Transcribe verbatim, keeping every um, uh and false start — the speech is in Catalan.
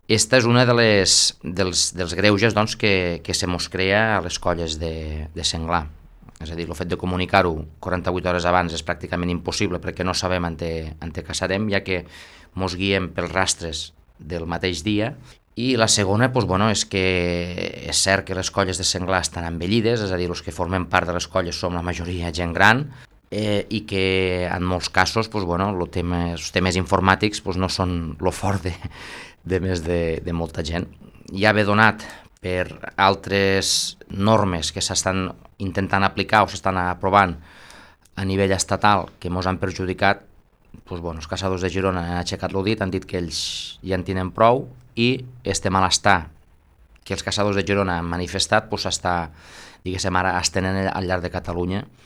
Esta és una de les, dels, dels greuges doncs, que, que se mos crea a les colles de, de senglar. És a dir, el fet de comunicar-ho quaranta-vuit hores abans és pràcticament impossible perquè no sabem on te, on te caçarem, ja que mos guiem pels rastres del mateix dia. I la segona, doncs, bueno, és que és cert que les colles de senglar estan envellides, és a dir, els que formem part de les colles som la majoria gent gran, eh, i que en molts casos doncs, bueno, lo tema, els temes informàtics doncs, no són lo fort de, de més de, de molta gent. Ja ve donat per altres normes que s'estan intentant aplicar o s'estan aprovant a nivell estatal que ens han perjudicat, doncs, bueno, els caçadors de Girona han aixecat el dit, han dit que ells ja en tenen prou, i este malestar que els caçadors de Girona han manifestat doncs, està, diguéssim, ara estenent al llarg de Catalunya,